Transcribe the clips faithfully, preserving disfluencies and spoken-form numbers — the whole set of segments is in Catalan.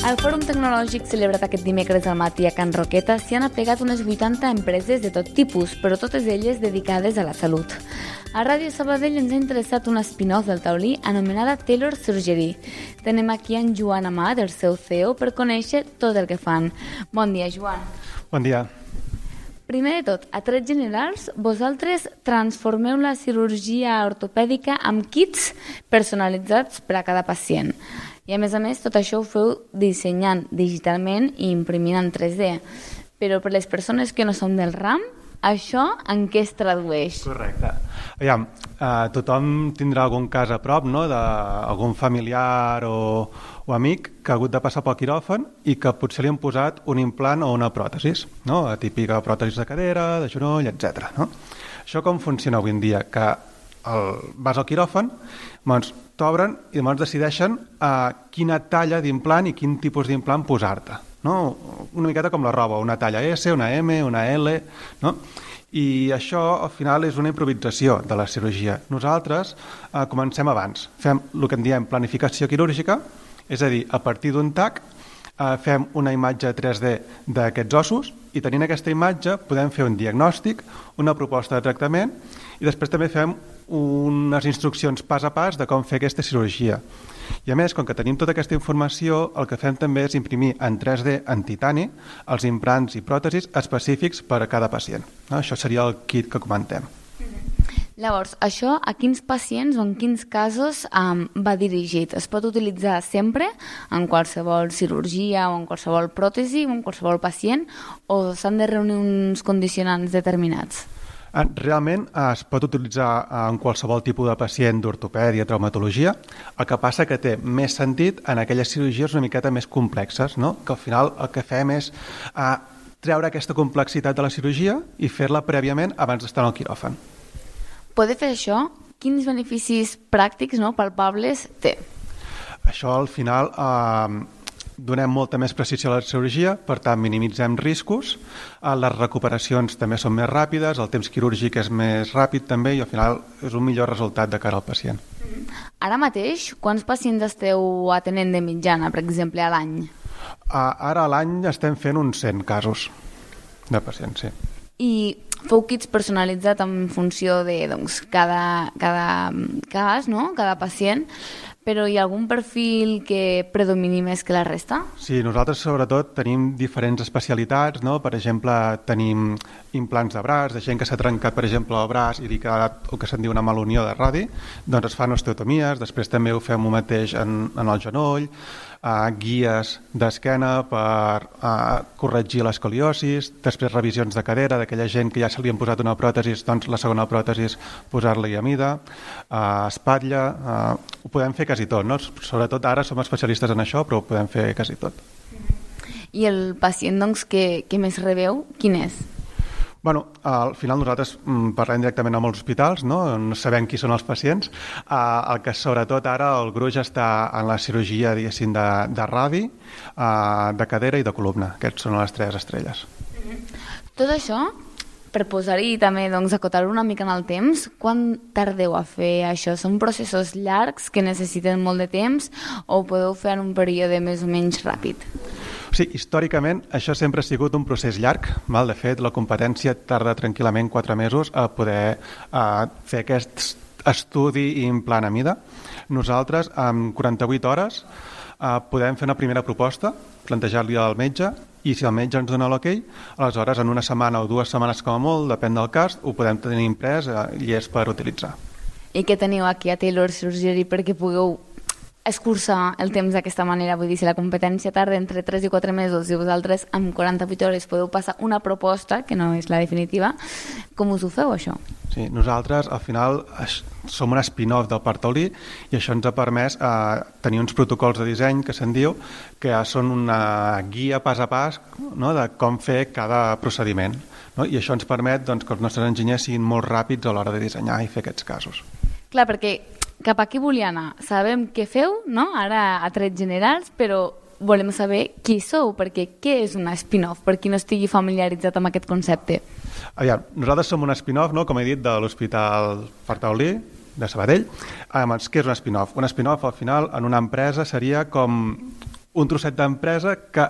Al Fòrum Tecnològic celebrat aquest dimecres al matí a Can Roqueta s'hi han aplegat unes vuitanta empreses de tot tipus, però totes elles dedicades a la salut. A Ràdio Sabadell ens ha interessat una spin-off del taulí anomenada Taylor Surgery. Tenem aquí en Joan Amat, el seu C E O, per conèixer tot el que fan. Bon dia, Joan. Bon dia. Primer de tot, a trets generals, vosaltres transformeu la cirurgia ortopèdica amb kits personalitzats per a cada pacient. I a més a més, tot això ho feu dissenyant digitalment i imprimint en tres D. Però per les persones que no som del ram, això en què es tradueix? Correcte. Aviam, eh, tothom tindrà algun cas a prop, no?, d'algun familiar o, o amic que ha hagut de passar pel quiròfan i que potser li han posat un implant o una pròtesis, no?, la típica pròtesis de cadera, de genoll, etcètera. No? Això com funciona avui en dia? Que el, vas al quiròfan, doncs t'obren i llavors decideixen uh, quina talla d'implant i quin tipus d'implant posar-te. No? Una miqueta com la roba, una talla S, una M, una L, no? I això al final és una improvisació de la cirurgia. Nosaltres uh, comencem abans, fem el que en diem planificació quirúrgica, és a dir, a partir d'un tac uh, fem una imatge tres D d'aquests ossos i tenint aquesta imatge podem fer un diagnòstic, una proposta de tractament i després també fem unes instruccions pas a pas de com fer aquesta cirurgia. I a més, com que tenim tota aquesta informació, el que fem també és imprimir en tres D en titani els implants i pròtesis específics per a cada pacient. No? Això seria el kit que comentem. Llavors, això a quins pacients o en quins casos um, va dirigit? Es pot utilitzar sempre en qualsevol cirurgia o en qualsevol pròtesi o en qualsevol pacient o s'han de reunir uns condicionants determinats? Realment es pot utilitzar en qualsevol tipus de pacient d'ortopèdia, traumatologia, el que passa que té més sentit en aquelles cirurgies una miqueta més complexes, no? Que al final el que fem és uh, treure aquesta complexitat de la cirurgia i fer-la prèviament abans d'estar en el quiròfan. Poder fer això, quins beneficis pràctics, no, palpables té? Això al final eh, donem molta més precisió a la cirurgia, per tant minimitzem riscos, eh, les recuperacions també són més ràpides, el temps quirúrgic és més ràpid també i al final és un millor resultat de cara al pacient. Ara mateix, quants pacients esteu atenent de mitjana, per exemple, a l'any? Eh, ara a l'any estem fent uns cent casos de pacients, sí. I feu kits personalitzats en funció de doncs, cada, cada cas, no? Cada pacient, però hi ha algun perfil que predomini més que la resta? Sí, nosaltres sobretot tenim diferents especialitats, no? Per exemple, tenim implants de braç, de gent que s'ha trencat, per exemple, el braç i li ha quedat el que se'n diu una malunió de radi, doncs es fan osteotomies, després també ho fem el mateix en, en el genoll, Uh, guies d'esquena per uh, corregir l'escoliosis, després revisions de cadera d'aquella gent que ja se li han posat una pròtesis, doncs la segona pròtesis posar-li a mida, uh, espatlla, uh, ho podem fer quasi tot, no? Sobretot ara som especialistes en això, però ho podem fer quasi tot. I el pacient doncs, que, que més rebeu, quin és? Bueno, al final nosaltres mm, parlem directament amb els hospitals, no? No sabem qui són els pacients. Uh, el que sobretot ara el gruix està en la cirurgia, diguéssim, de, de radi, uh, de cadera i de columna. Aquests són les tres estrelles. Tot això, per posar-hi també, doncs, acotar-ho una mica en el temps, quan tardeu a fer això? Són processos llargs que necessiten molt de temps o ho podeu fer en un període més o menys ràpid? Sí, històricament això sempre ha sigut un procés llarg. Val? De fet, la competència tarda tranquil·lament quatre mesos a poder a fer aquest estudi i implant a mida. Nosaltres, en quaranta-vuit hores, eh, podem fer una primera proposta, plantejar-li al metge, i si el metge ens dona l'ok, aleshores en una setmana o dues setmanes com a molt, depèn del cas, ho podem tenir imprès eh, i és per utilitzar. I què teniu aquí a Taylor Surgery perquè pugueu escurçar el temps d'aquesta manera? Vull dir, si la competència tarda entre tres i quatre mesos i vosaltres amb quaranta-vuit hores podeu passar una proposta, que no és la definitiva, com us ho feu, això? Sí, nosaltres al final som un spin-off del parc taulí i això ens ha permès eh, tenir uns protocols de disseny que se'n diu que són una guia pas a pas, no?, de com fer cada procediment, no? I això ens permet doncs, que els nostres enginyers siguin molt ràpids a l'hora de dissenyar i fer aquests casos. Clar, perquè cap aquí volia anar. Sabem què feu, no?, ara a trets generals, però volem saber qui sou, perquè què és una spin-off, per qui no estigui familiaritzat amb aquest concepte. Aviam, nosaltres som un spin-off, no?, com he dit, de l'Hospital Parc Taulí, de Sabadell. Doncs, què és un spin-off? Un spin-off, al final, en una empresa seria com un trosset d'empresa que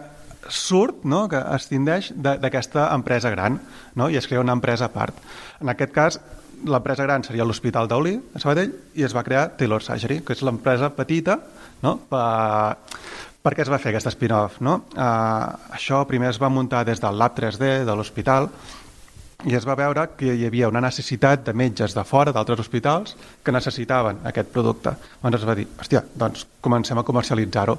surt, no? Que escindeix d'aquesta empresa gran, no? I es crea una empresa a part. En aquest cas, l'empresa gran seria l'Hospital Taulí, a Sabadell, i es va crear Taylor Surgery, que és l'empresa petita, no? Per, per què es va fer aquest spin-off, no? Uh, això primer es va muntar des del Lab tres D de l'hospital, i es va veure que hi havia una necessitat de metges de fora, d'altres hospitals, que necessitaven aquest producte. Llavors es va dir, hòstia, doncs comencem a comercialitzar-ho.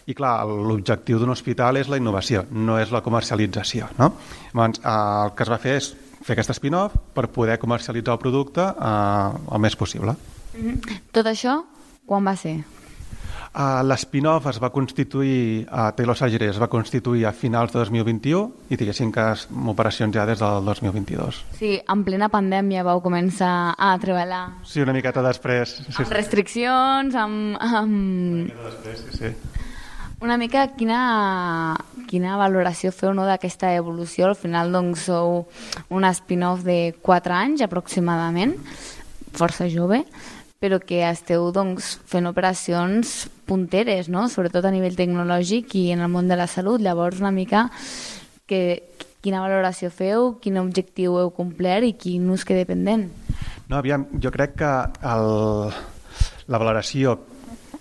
I clar, l'objectiu d'un hospital és la innovació, no és la comercialització, no? Llavors, el que es va fer és fer aquest spin-off per poder comercialitzar el producte eh, el més possible. Mm-hmm. Tot això, quan va ser? Uh, L'spin-off es va constituir, uh, Taylor Surgery es va constituir a finals de dos mil vint-i-u i diguéssim que és operacions ja des del dos mil vint-i-dos. Sí, en plena pandèmia vau començar a treballar. Sí, una miqueta després. Sí, amb restriccions, amb... amb... Una miqueta després, sí, sí. Una mica quina, quina valoració feu, no, d'aquesta evolució? Al final doncs sou un spin-off de quatre anys aproximadament, força jove, però que esteu doncs, fent operacions punteres, no? Sobretot a nivell tecnològic i en el món de la salut. Llavors, una mica que, quina valoració feu, quin objectiu heu complert i quin us queda pendent? No, aviam, jo crec que el, la valoració,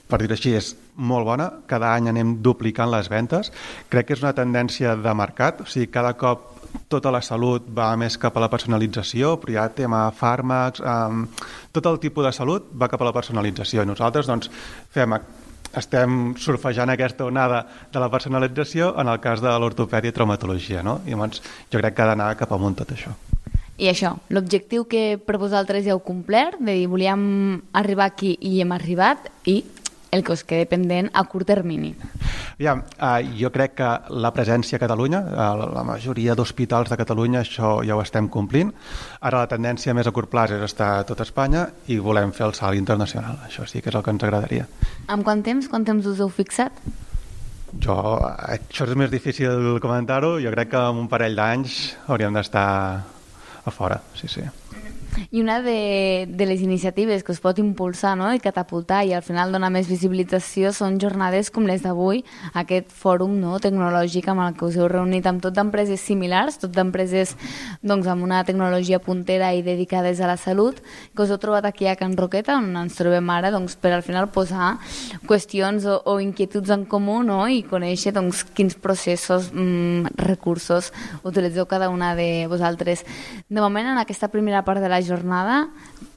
per dir-ho així, és molt bona. Cada any anem duplicant les ventes. Crec que és una tendència de mercat, o sigui, cada cop tota la salut va més cap a la personalització, però hi ha tema fàrmacs, um, tot el tipus de salut va cap a la personalització. I nosaltres doncs, fem, estem surfejant aquesta onada de la personalització en el cas de l'ortopèdia i traumatologia, no? I llavors jo crec que ha d'anar cap amunt tot això. I això, l'objectiu que per vosaltres ja heu complert, de dir volíem arribar aquí i hem arribat, i el que us queda pendent a curt termini. Ja, eh, jo crec que la presència a Catalunya, a la majoria d'hospitals de Catalunya, això ja ho estem complint. Ara la tendència més a curt plaç és estar a tot Espanya i volem fer el salt internacional. Això sí que és el que ens agradaria. Amb quant temps? Quant temps us heu fixat? Jo, això és més difícil comentar-ho. Jo crec que en un parell d'anys hauríem d'estar a fora, sí, sí. I una de, de les iniciatives que us pot impulsar, no?, i catapultar i al final donar més visibilització són jornades com les d'avui, aquest fòrum, no?, tecnològic amb el que us heu reunit amb tot d'empreses similars, tot d'empreses doncs, amb una tecnologia puntera i dedicades a la salut, que us heu trobat aquí a Can Roqueta, on ens trobem ara, doncs, per al final posar qüestions o, o inquietuds en comú, no?, i conèixer doncs, quins processos, mmm, recursos utilitzeu cada una de vosaltres. De moment, en aquesta primera part de la jornada,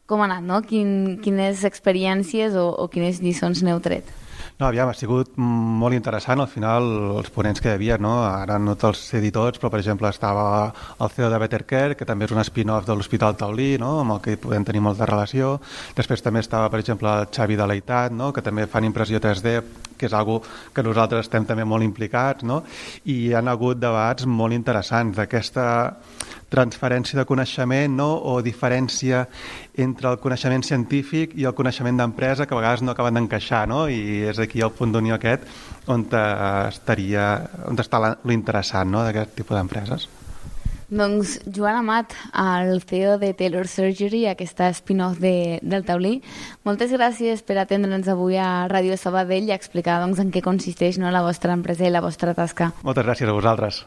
com ha anat, no? Quin, quines experiències o, o quines lliçons n'heu tret? No, aviam, ha sigut molt interessant, al final, els ponents que hi havia, no? Ara no te'ls sé dir tots, però, per exemple, estava el C E O de Better Care, que també és un spin-off de l'Hospital Taulí, no?, amb el que podem tenir molta relació. Després també estava, per exemple, el Xavi de l'Eitat, no?, que també fan impressió tres D, que és algo que nosaltres estem també molt implicats, no?, i hi ha hagut debats molt interessants d'aquesta transferència de coneixement, no?, o diferència entre el coneixement científic i el coneixement d'empresa, que a vegades no acaben d'encaixar, no?, i és aquí el punt d'unió aquest on estaria, on està l'interessant, no?, d'aquest tipus d'empreses. Doncs Joan Amat, el C E O de Taylor Surgery, aquesta spin-off de, del Taulí, moltes gràcies per atendre'ns avui a Ràdio Sabadell i explicar doncs, en què consisteix, no?, la vostra empresa i la vostra tasca. Moltes gràcies a vosaltres.